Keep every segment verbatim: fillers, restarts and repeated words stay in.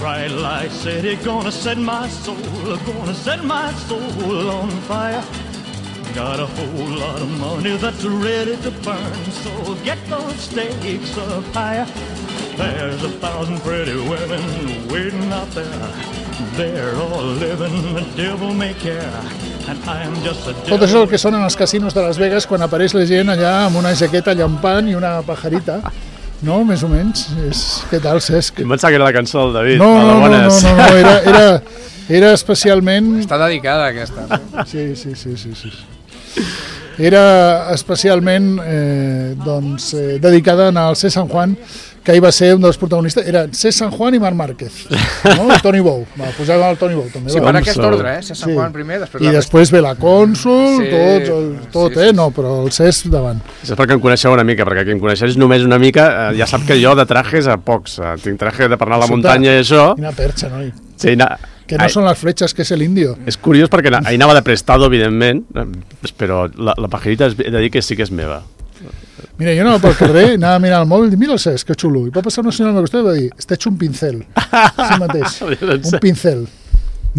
Bright light city, gonna set my soul, gonna set my soul on fire. Got a whole lot of money that's ready to burn, so get those stakes up higher. There's a thousand pretty women waiting out there. They're all living the devil may care. And I am just a devil. Tot això és el que són en els casinos de Las Vegas quan apareix la gent allà amb una jaqueta llampant i una pajarita. No, més o menys. És... Què tal, Cesc? Em pensava que era la cançó del David. No, no, no, no, no, no, era, era, era especialment... Està dedicada aquesta. Sí, sí, sí, sí, sí. Era especialment eh, doncs, eh, dedicada al C. San Juan, que hi va ser un dels protagonistes. Era C. San Juan i Marc Márquez, no? I Tony Bou. Va, posàvem el Tony Bou també. Sí, va. per aquest ordre, eh? C. San Juan primer, després I la després ve la Cònsul, Sí, tots, el, tot, sí, sí, eh? sí. No, però el Cesc davant. És perquè em coneixeu una mica, perquè qui em coneixeix només una mica eh, ja sap que jo de trajes a pocs. Eh, tinc traje de per anar a la Sota. muntanya i això. Quina perxa, noi. Sí, na... Que no Ai, són les fletxes, que és l'indio. és curiós perquè na- ahir anava de prestado, evidentment, eh, però la, la pajarita és- he de dir que sí que és meva. Mira, jo anava pel carrer, anava a mirar el mòbil i dic, mira el Cesc, que xulo. I va passar una senyora al meu costat i va dir, està hecho un pincel. Sí mateix, un pincel.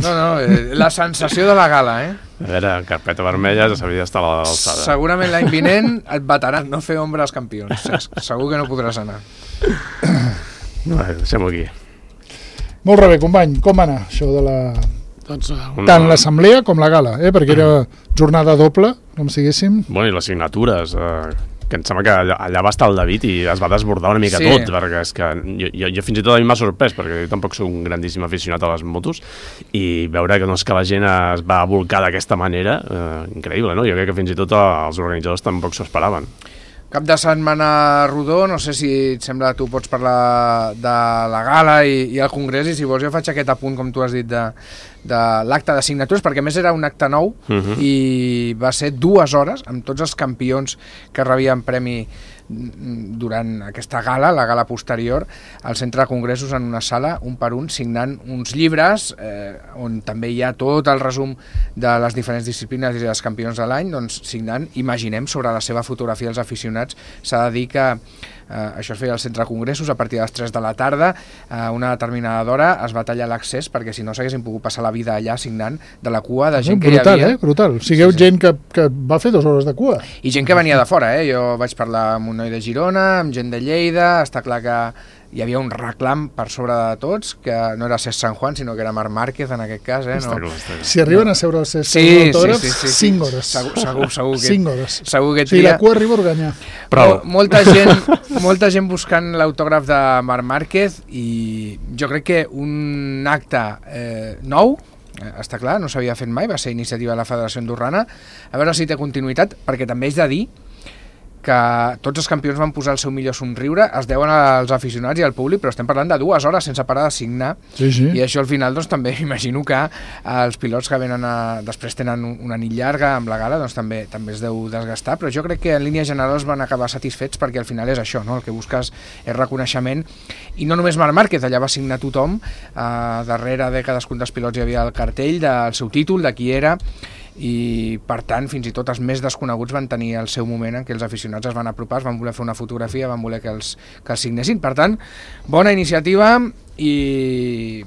No, no, eh, la sensació de la gala, eh? A veure, carpeta vermella ja s'hauria d'estar a l'alçada. Segurament l'any vinent et bataran no fer ombra als campions. Cesc. Segur que no podràs anar. Bueno, deixem-ho aquí. Molt bé, company, com va anar això de la... Doncs, uh, Tant l'assemblea com la gala, eh? Perquè era jornada doble, com si diguéssim. Bueno, i les signatures, eh, que em sembla que allà, allà va estar el David i es va desbordar una mica Sí. tot, perquè és que jo, jo, jo fins i tot a mi m'ha sorprès, perquè jo tampoc soc un grandíssim aficionat a les motos, i veure que, doncs, que la gent es va volcar d'aquesta manera, eh, increïble, no? Jo crec que fins i tot els organitzadors tampoc s'ho esperaven. Cap de setmana rodó, no sé si et sembla tu pots parlar de la gala i, i el congrés, i si vols jo faig aquest apunt, com tu has dit, de, de l'acte de signatures, perquè a més era un acte nou Uh-huh. i va ser dues hores amb tots els campions que rebien premi durant aquesta gala, la gala posterior, al centre de congressos en una sala, un per un, signant uns llibres eh, on també hi ha tot el resum de les diferents disciplines i dels campions de l'any, doncs signant, imaginem, sobre la seva fotografia als aficionats. S'ha de dir que eh, això es feia al centre de congressos a partir de les tres de la tarda, a una determinada hora es va tallar l'accés perquè si no s'haguessin pogut passar la vida allà signant de la cua de gent que hi Brutal, havia. eh? Brutal. Sigueu Sí, sí. gent que, que va fer dues hores de cua. I gent que venia de fora, eh? Jo vaig parlar amb un noi de Girona, amb gent de Lleida, està clar que hi havia un reclam per sobre de tots, que no era Cesc San Juan, sinó que era Marc Márquez en aquest cas, eh? Està No. clar, està clar. Si arriben a seure el Cesc Sí, sí, sí, autògraf, sí, sí, sí. cinc hores. Segur, segur, segur que... cinc hores. Segur que O sigui, la tria... cua arriba a Organyà. Prou. Mol- Molta gent, molta gent buscant l'autògraf de Marc Márquez i jo crec que un acte eh, nou, eh, està clar, no s'havia fet mai, va ser iniciativa de la Federació Andorrana, a veure si té continuïtat, perquè també és de dir que tots els campions van posar el seu millor somriure, es deuen als aficionats i al públic, però estem parlant de dues hores sense parar de signar, Sí, sí. i això al final doncs, també imagino que els pilots que venen a, després tenen un- una nit llarga amb la gala, doncs també també es deu desgastar, però jo crec que en línies generals van acabar satisfets perquè al final és això, no? El que busques és reconeixement, i no només Marc Márquez, allà va signar tothom, eh, darrere de cadascun dels pilots hi havia el cartell del seu títol, de qui era, i per tant fins i tot els més desconeguts van tenir el seu moment en què els aficionats es van apropar, es van voler fer una fotografia, van voler que els, que els signessin. Per tant, bona iniciativa i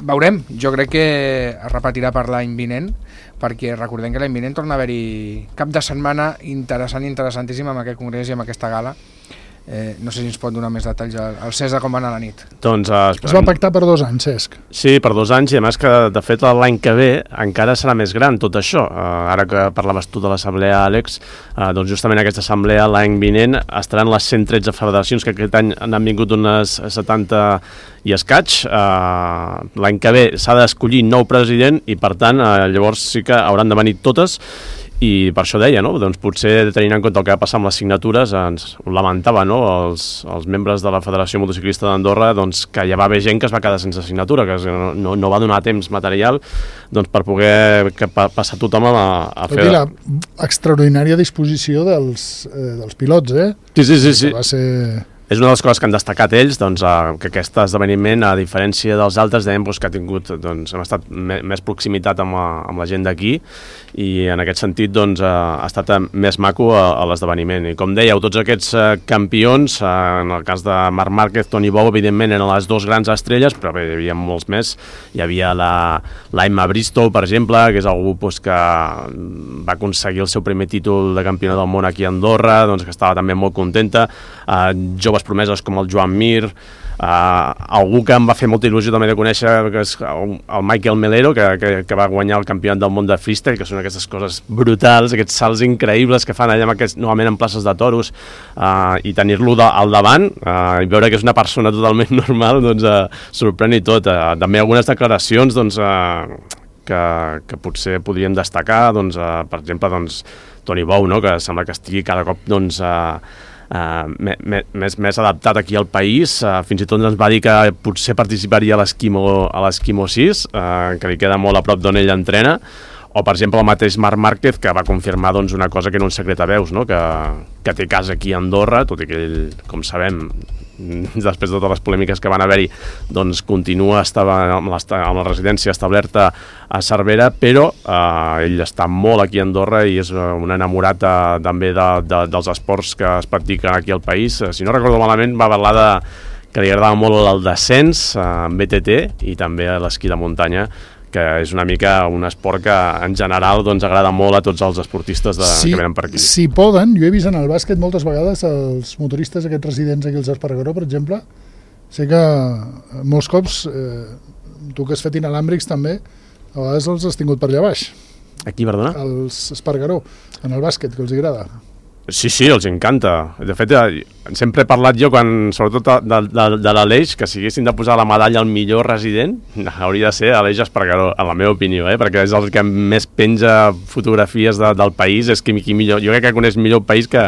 veurem, jo crec que es repetirà per l'any vinent, perquè recordem que l'any vinent torna a haver-hi cap de setmana interessant i interessantíssim amb aquest congrés i amb aquesta gala. Eh, no sé si ens pot donar més detalls el, el César com va anar la nit. Doncs, eh, Es va pactar per dos anys, Cesc. Sí, per dos anys, i a més que, de fet, l'any que ve encara serà més gran tot això. Uh, ara que parlaves tu de l'assemblea, Àlex, uh, doncs justament aquesta assemblea l'any vinent estaran les cent tretze federacions, que aquest any n'han vingut unes setanta i escaig. Uh, l'any que ve s'ha d'escollir nou president i, per tant, uh, llavors sí que hauran de venir totes. I per això deia, no? Doncs potser tenint en compte el que va passar amb les signatures, ens ho lamentava, no? Els, els membres de la Federació Motociclista d'Andorra, doncs, que ja va haver gent que es va quedar sense signatura, que no, no, no va donar temps material doncs, per poder que pa, passar tothom a, a Tot fer... i la extraordinària disposició dels, eh, dels pilots, eh? Sí, sí, sí, sí. Que va ser... és una de les coses que han destacat ells, doncs, uh, que aquest esdeveniment, a diferència dels altres, dèiem doncs, que ha tingut, doncs, hem estat me més proximitat amb la, amb la gent d'aquí, i en aquest sentit doncs, uh, ha estat més maco a, a l'esdeveniment. I com dèieu, tots aquests uh, campions, uh, en el cas de Marc Márquez, Toni Bou, evidentment eren les dues grans estrelles, però bé, hi havia molts més. Hi havia la, la Emma Bristow, per exemple, que és algú doncs, que va aconseguir el seu primer títol de campiona del món aquí a Andorra, doncs, que estava també molt contenta. Uh, joves promeses com el Joan Mir, uh, algú que em va fer molta il·lusió també de conèixer, que és el, el Michael Melero, que, que, que va guanyar el campionat del món de freestyle, que són aquestes coses brutals, aquests salts increïbles que fan allà amb aquests, normalment en places de toros, uh, i tenir-lo al davant uh, i veure que és una persona totalment normal, doncs uh, sorprèn i tot. Uh, també algunes declaracions doncs, uh, que, que potser podríem destacar, doncs, uh, per exemple, doncs, Toni Bou, no? Que sembla que estigui cada cop doncs, uh, Uh, més, més adaptat aquí al país, uh, fins i tot ens va dir que potser participaria a l'Esquimo a l'Esquimo sis, uh, que li queda molt a prop d'on ell entrena, o per exemple el mateix Marc Márquez, que va confirmar doncs, una cosa que era un secret a veus, no? que, que té casa aquí a Andorra, tot i que ell, com sabem, després de totes les polèmiques que van haver-hi, doncs continua estava amb, amb la residència establerta a Cervera, però eh, ell està molt aquí a Andorra i és un enamorat de, també de, de, dels esports que es practiquen aquí al país. Si no recordo malament, va parlar de que li agradava molt el descens eh, en B T T i també l'esquí de muntanya, que és una mica un esport que en general doncs, agrada molt a tots els esportistes de, sí, que venen per aquí. Si poden, jo he vist en el bàsquet moltes vegades els motoristes aquests residents aquí als Espargaró, per exemple, sé que molts cops, eh, tu que has fet inalàmbrics també, a vegades els has tingut per allà baix. Aquí, perdona? Els Espargaró, en el bàsquet, que els agrada. Sí, sí, els encanta. De fet, sempre he parlat jo, quan, sobretot de, de, de l'Aleix, que si haguessin de posar la medalla al millor resident, hauria de ser Aleix Espargaró, en la meva opinió, eh? Perquè és el que més penja fotografies de, del país, és qui, qui millor, jo crec que coneix millor el país que,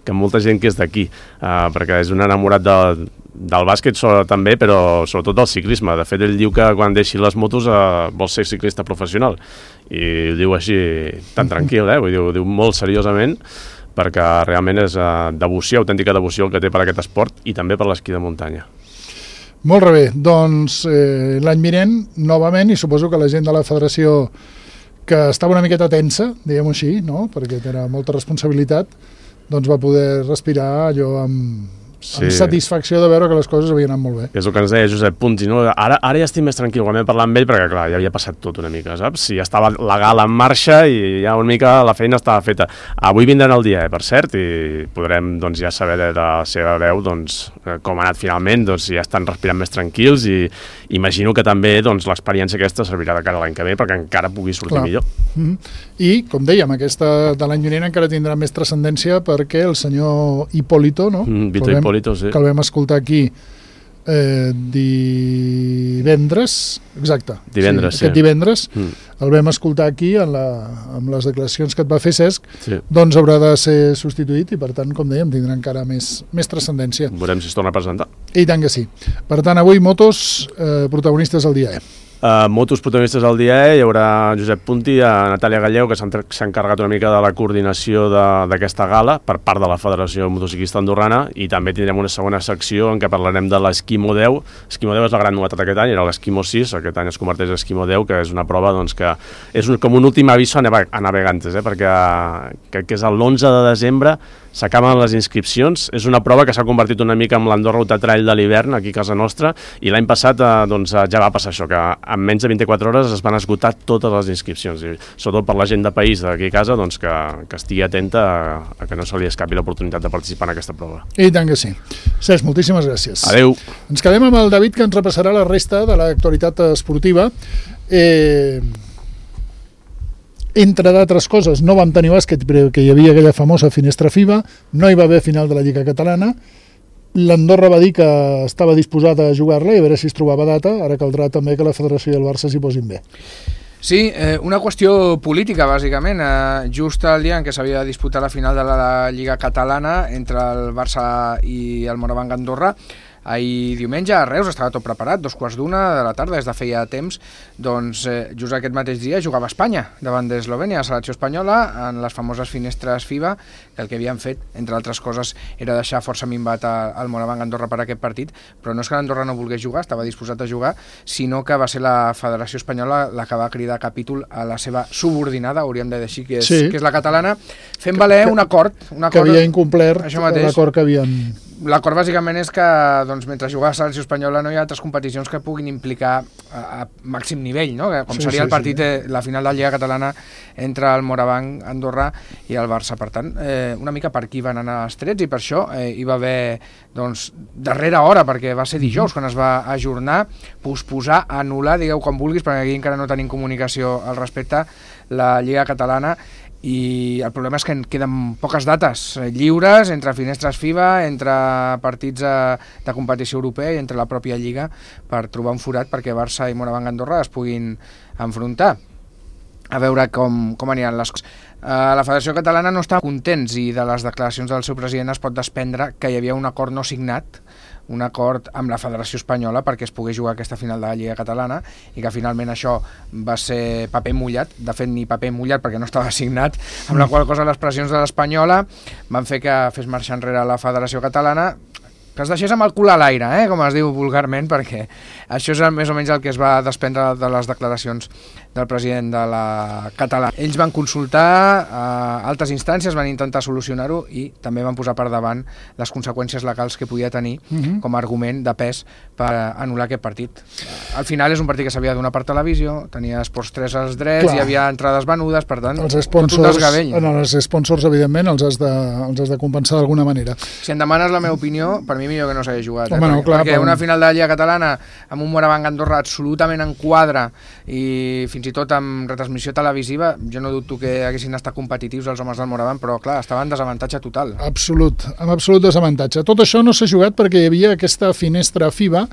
que molta gent que és d'aquí, uh, perquè és un enamorat de, del bàsquet so, també, però sobretot del ciclisme. De fet, ell diu que quan deixi les motos uh, vol ser ciclista professional, i ho diu així tan tranquil, eh? Vull dir, ho diu molt seriosament, perquè realment és uh, devoció, autèntica devoció el que té per aquest esport i també per l'esquí de muntanya. Molt bé, doncs eh, l'any vinent, novament, i suposo que la gent de la federació que estava una miqueta tensa, diguem-ho així, no? Perquè era molta responsabilitat, doncs va poder respirar allò amb... Sí. Amb satisfacció de veure que les coses havien anat molt bé. És el que ens deia Josep Punti, no? Ara, ara ja estic més tranquil quan vam parlar amb ell, perquè clar, ja havia passat tot una mica, saps? Ja estava la gala en marxa i ja una mica la feina estava feta. Avui vindran el dia, eh, per cert, i podrem doncs, ja saber de la seva veu doncs, com ha anat finalment, doncs ja estan respirant més tranquils i imagino que també doncs, l'experiència aquesta servirà de cara a l'any que ve perquè encara pugui sortir clar. Millor. Mm-hmm. I, com dèiem, aquesta de l'any vinent encara tindrà més transcendència perquè el senyor Hipólito, no? Mm, Vito Hipólito. Sí. Que el vam escoltar aquí eh, divendres, exacte, divendres, sí, aquest sí. divendres, mm. el vam escoltar aquí en la, amb les declaracions que et va fer Cesc, sí. Doncs haurà de ser substituït i per tant, com dèiem, tindrà encara més, més transcendència. Veurem si es torna a presentar. I tant que sí. Per tant, avui motos eh, protagonistes al dia E. Uh, motos protagonistes al dia E, hi haurà Josep Punti, a Natàlia Galleu, que s'ha encarregat una mica de la coordinació d'aquesta gala per part de la Federació Motociclista Andorrana, i també tindrem una segona secció en què parlarem de l'Esquimo deu. L'Esquimo deu és la gran novetat aquest any, era l'Esquimo sis, aquest any es converteix en Esquimo deu, que és una prova doncs, que és un, com un últim aviso a, nave a navegantes, eh? Perquè que, que és l'onze de desembre, s'acaben les inscripcions. És una prova que s'ha convertit una mica en l'Andorra Ultra Trail de l'hivern aquí a casa nostra, i l'any passat eh, doncs, ja va passar això, que en menys de vint-i-quatre hores es van esgotar totes les inscripcions, i sobretot per la gent de país d'aquí a casa, doncs, que, que estigui atenta a, a que no se li escapi l'oportunitat de participar en aquesta prova. I tant que sí. Cesc, moltíssimes gràcies. Adéu. Ens quedem amb el David, que ens repassarà la resta de l'actualitat esportiva. Eh... Entre d'altres coses, no vam tenir bàsquet perquè hi havia aquella famosa finestra FIBA, no hi va haver final de la Lliga Catalana, l'Andorra va dir que estava disposada a jugar-la i a veure si es trobava data, ara caldrà també que la Federació i el Barça s'hi posin bé. Sí, eh, una qüestió política, bàsicament. Eh, just el dia en què s'havia de disputar la final de la Lliga Catalana entre el Barça i el Morabanc Andorra, ahir diumenge a Reus, estava tot preparat, dos quarts d'una de la tarda, des de feia temps, doncs eh, just aquest mateix dia jugava Espanya davant d'Eslovènia, la selecció espanyola, en les famoses finestres FIBA, que el que havien fet, entre altres coses, era deixar força minvat al Moraván Andorra per aquest partit, però no és que l'Andorra no volgués jugar, estava disposat a jugar, sinó que va ser la Federació Espanyola la que va cridar capítol a la seva subordinada, hauríem de dir així, que és, sí. que és la catalana, fent valer un acord, un acord que havia incomplert l'acord que havien... L'acord bàsicament és que doncs, mentre jugava a la selecció espanyola no hi ha altres competicions que puguin implicar a, a màxim nivell, no? Com sí, seria sí, el partit, sí. de la final de la Lliga Catalana entre el Moraván Andorra i el Barça. Per tant, eh, una mica per aquí van anar els trets i per això eh, hi va haver doncs, darrera hora, perquè va ser dijous quan es va ajornar, posposar, anul·lar, digueu com vulguis, perquè aquí encara no tenim comunicació al respecte, la Lliga Catalana, i el problema és que en queden poques dates lliures entre finestres FIBA, entre partits de competició europea i entre la pròpia Lliga per trobar un forat perquè Barça i Moraván Andorra es puguin enfrontar. A veure com, com aniran les coses. Uh, la Federació Catalana no està contents i de les declaracions del seu president es pot desprendre que hi havia un acord no signat, un acord amb la Federació Espanyola perquè es pogués jugar aquesta final de la Lliga Catalana i que finalment això va ser paper mullat, de fet ni paper mullat perquè no estava signat, amb la qual cosa les pressions de l'Espanyola van fer que fes marxar enrere la Federació Catalana, que es deixés amb el cul a l'aire, eh, com es diu vulgarment, perquè això és més o menys el que es va desprendre de les declaracions del president de la catalana. Ells van consultar a altres instàncies, van intentar solucionar-ho i també van posar per davant les conseqüències legals que podia tenir uh-huh. com a argument de pes per anul·lar aquest partit. Al final és un partit que s'havia de donar per televisió, tenia Esports tres als drets, Clar. Hi havia entrades venudes, per tant, els sponsors, tot un desgavell. No, els sponsors, evidentment, els has de, els has de compensar d'alguna manera. Si em demanes la meva opinió, per mi millor que no s'hagi jugat. Home, eh? no, clar, perquè però... una final de la Lliga Catalana amb un Moraván Andorra absolutament en quadre i fins i tot amb retransmissió televisiva, jo no dubto que haguessin estat competitius els homes del Moraván, però clar, estaven en desavantatge total. Absolut, amb absolut desavantatge. Tot això no s'ha jugat perquè hi havia aquesta finestra FIBA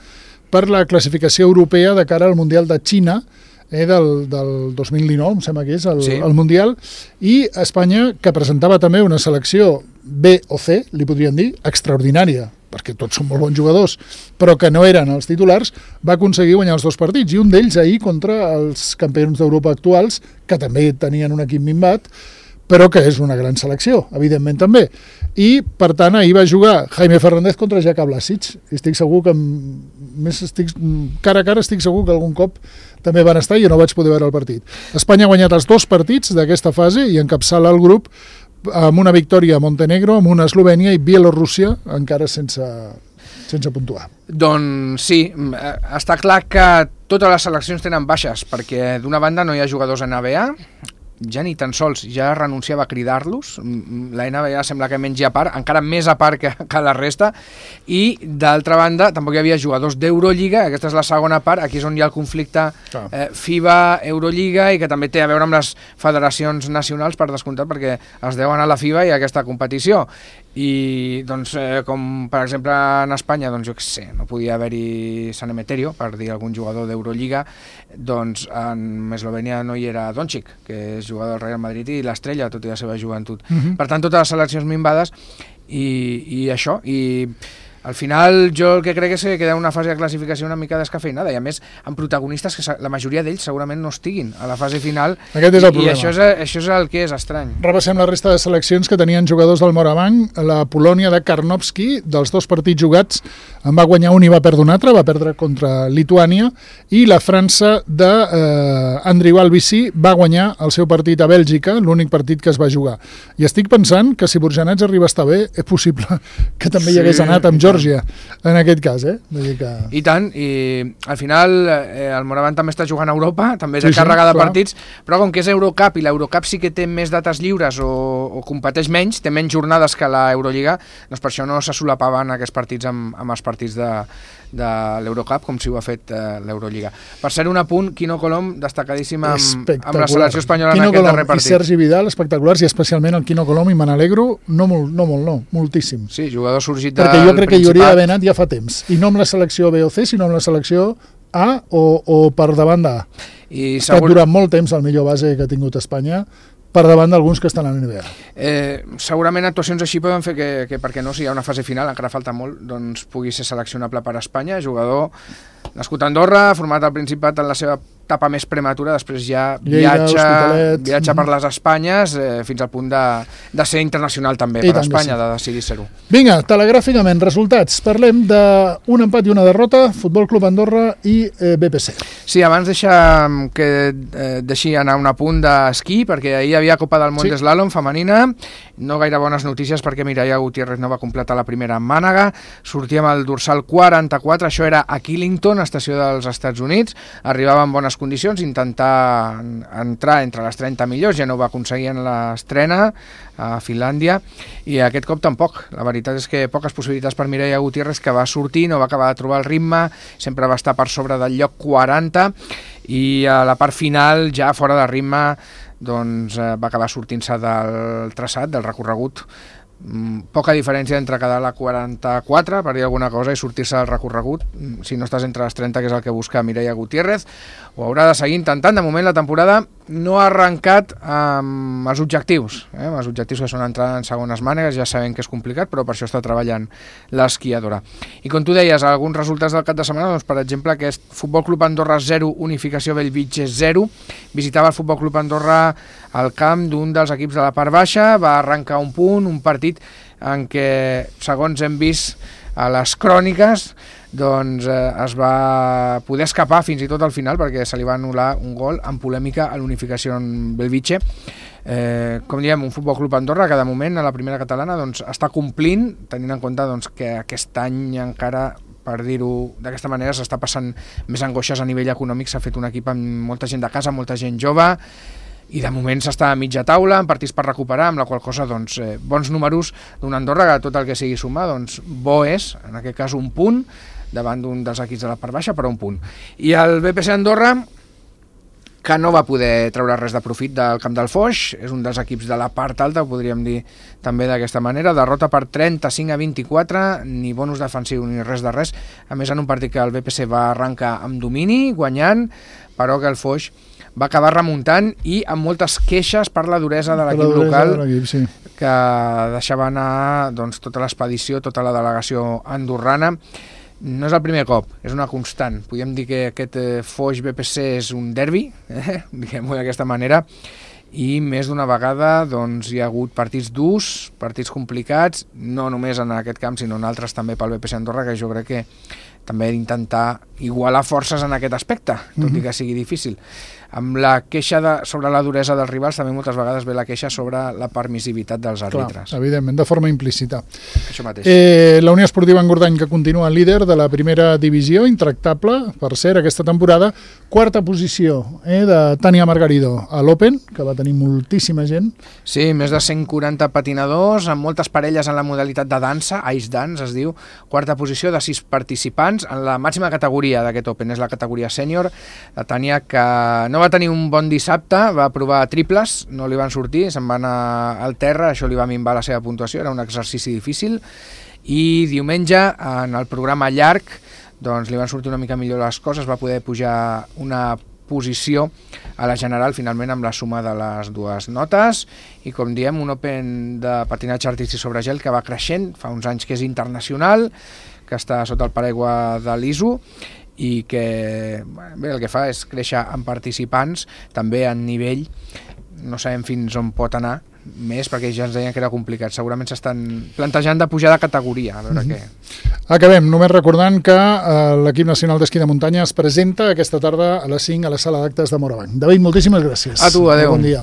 per la classificació europea de cara al Mundial de Xina, eh, del, del dos mil dinou, em sembla que és el, sí. el Mundial, i Espanya, que presentava també una selecció B o C, li podríem dir, extraordinària, perquè tots són molt bons jugadors, però que no eren els titulars, va aconseguir guanyar els dos partits, i un d'ells ahir contra els campions d'Europa actuals, que també tenien un equip minvat, però que és una gran selecció, evidentment també. I, per tant, ahir va jugar Jaime Fernández contra Jaka Blasic, i estic segur que, més estic, cara a cara, estic segur que algun cop també van estar i jo no vaig poder veure el partit. Espanya ha guanyat els dos partits d'aquesta fase i encapçala el grup amb una victòria a Montenegro, amb una Eslovènia i Bielorússia encara sense, sense puntuar. Doncs sí, està clar que totes les seleccions tenen baixes, perquè d'una banda no hi ha jugadors en N B A, ja ni tan sols ja renunciava a cridar-los, la N B A sembla que menys a part, encara més a part que, que la resta, i d'altra banda tampoc hi havia jugadors d'Eurolliga, aquesta és la segona part, aquí és on hi ha el conflicte eh, FIBA, Eurolliga, i que també té a veure amb les federacions nacionals, per descomptat, perquè es deuen a la FIBA i a aquesta competició. I doncs, eh, com per exemple en Espanya, doncs jo què sé, no podia haver-hi San Emeterio, per dir algun jugador d'Eurolliga, doncs en Eslovènia no hi era Doncic, que és jugador del Real Madrid i l'estrella, tot i la seva joventut. Uh-huh. Per tant, totes les seleccions minvades i, i això, i al final jo el que crec és que queda una fase de classificació una mica descafeinada, i a més amb protagonistes que la majoria d'ells segurament no estiguin a la fase final. Aquest és el problema. I això és, això és el que és estrany. Repassem la resta de seleccions que tenien jugadors del Moraván. La Polònia de Karnowski, dels dos partits jugats, en va guanyar un i va perdre un altre, va perdre contra Lituània, i la França d'Andriy eh, Albici va guanyar el seu partit a Bèlgica, l'únic partit que es va jugar. I estic pensant que si Burjanets arriba a estar bé, és possible que també sí, hi hagués anat amb Geòrgia, en aquest cas, eh? Vull dir que... I tant, i al final eh, el Moraván també està jugant a Europa, també és sí, càrrega sí, de partits, però com que és Eurocup i l'Eurocup sí que té més dates lliures o, o competeix menys, té menys jornades que la Eurolliga, doncs per això no se solapaven aquests partits amb, amb els partits de, de l'Eurocup, com si ho ha fet eh, l'Eurolliga. Per ser un apunt, Quino Colom, destacadíssim amb, amb la selecció espanyola Quino en aquest Colom darrer partit. I Sergi Vidal, espectaculars, i especialment el Quino Colom, i me n'alegro, no, molt, no molt, no, moltíssim. Sí, jugador sorgit del Perquè jo crec que hi hauria d'haver anat ja fa temps, i no amb la selecció B o C, sinó amb la selecció A o, o per davant d'A. I segur... durant molt temps el millor base que ha tingut Espanya, per davant d'alguns que estan a la N B A. Eh, segurament actuacions així poden fer que, que perquè no, si hi ha una fase final, encara falta molt, doncs pugui ser seleccionable per Espanya, jugador nascut a Andorra, format al Principat en la seva etapa més prematura, després ja Lleida, viatja, viatja per les Espanyes eh, fins al punt de, de ser internacional també I per tant que Espanya, sí. de decidir ser-ho. Vinga, telegràficament, resultats. Parlem d'un empat i una derrota, Futbol Club Andorra i eh, B P C. Sí, abans deixa que eh, deixi anar un apunt d'esquí, perquè ahir hi havia Copa del Món Sí. d'Eslàlom femenina, no gaire bones notícies perquè Mireia Gutiérrez no va completar la primera en Mànega, sortia amb el dorsal quaranta-quatre, això era a Killington, estació dels Estats Units, arribava en bones condicions, intentar entrar entre les trenta millors, ja no ho va aconseguir en l'estrena a Finlàndia, i aquest cop tampoc. La veritat és que poques possibilitats per Mireia Gutiérrez, que va sortir, no va acabar de trobar el ritme, sempre va estar per sobre del lloc quaranta, i a la part final, ja fora de ritme, doncs eh, va acabar sortint-se del traçat, del recorregut. Mm, poca diferència entre quedar a la quaranta-quatre, per dir alguna cosa, i sortir-se del recorregut. Mm, si no estàs entre les trenta, que és el que busca Mireia Gutiérrez, ho haurà de seguir intentant. De moment la temporada no ha arrencat amb els objectius, eh? els objectius que són entrar en segones mànegues, ja sabem que és complicat, però per això està treballant l'esquiadora. I com tu deies, alguns resultats del cap de setmana, doncs, per exemple, aquest Futbol Club Andorra zero, Unificació Bellvitge zero, visitava el Futbol Club Andorra al camp d'un dels equips de la part baixa, va arrencar un punt, un partit en què, segons hem vist a les cròniques, doncs eh, es va poder escapar fins i tot al final, perquè se li va anul·lar un gol en polèmica a l'Unificació en Bellvitge. Eh, com diem, un Futbol Club Andorra que de moment a la primera catalana doncs, està complint, tenint en compte doncs, que aquest any encara, per dir-ho d'aquesta manera, s'està passant més angoixes a nivell econòmic, s'ha fet un equip amb molta gent de casa, molta gent jove, i de moment s'està a mitja taula, amb partits per recuperar, amb la qual cosa, doncs, eh, bons números d'un Andorra, que tot el que sigui sumar, doncs, bo és, en aquest cas un punt, davant d'un dels equips de la part baixa, però un punt. I el B P C Andorra, que no va poder treure res de profit del camp del Foix, és un dels equips de la part alta, ho podríem dir també d'aquesta manera, derrota per trenta-cinc a vint-i-quatre, ni bonus defensiu ni res de res, a més en un partit que el B P C va arrencar amb domini, guanyant, però que el Foix va acabar remuntant i amb moltes queixes per la duresa de l'equip local, sí. que deixava anar doncs, tota l'expedició, tota la delegació andorrana. No és el primer cop, és una constant. Podríem dir que aquest eh, Foix B P C és un derbi, eh? diguem-ho d'aquesta manera, i més d'una vegada doncs, hi ha hagut partits durs, partits complicats, no només en aquest camp, sinó en altres també pel B P C Andorra, que jo crec que també d'intentar igualar forces en aquest aspecte, tot mm-hmm. i que sigui difícil. Amb la queixa de, sobre la duresa dels rivals també moltes vegades ve la queixa sobre la permissivitat dels àrbitres. Clar, evidentment, de forma implícita. Això mateix. Eh, la Unió Esportiva Engordany, que continua líder de la primera divisió, intractable, per cert, aquesta temporada, quarta posició eh, de Tània Margarido a l'Open, que va tenir moltíssima gent. Sí, més de cent quaranta patinadors, amb moltes parelles en la modalitat de dansa, Ice Dance es diu, quarta posició de sis participants en la màxima categoria d'aquest Open, és la categoria sènior. La Tània, que no va tenir un bon dissabte, va provar triples, no li van sortir, se'n va anar al terra, això li va minvar la seva puntuació, era un exercici difícil, i diumenge, en el programa llarg, doncs li van sortir una mica millor les coses, va poder pujar una posició a la general, finalment, amb la suma de les dues notes, i com diem, un Open de patinatge artístic sobre gel que va creixent, fa uns anys que és internacional, que està sota el paraigua de l'I S O, i que bé, el que fa és créixer en participants, també en nivell, no sabem fins on pot anar més, perquè ja ens deien que era complicat, segurament s'estan plantejant de pujar de categoria, a veure mm-hmm. què. Acabem, només recordant que eh, l'equip nacional d'esquí de muntanya es presenta aquesta tarda a les cinc a la sala d'actes de Morabanc. David, moltíssimes gràcies. A tu, adeu. Bon dia.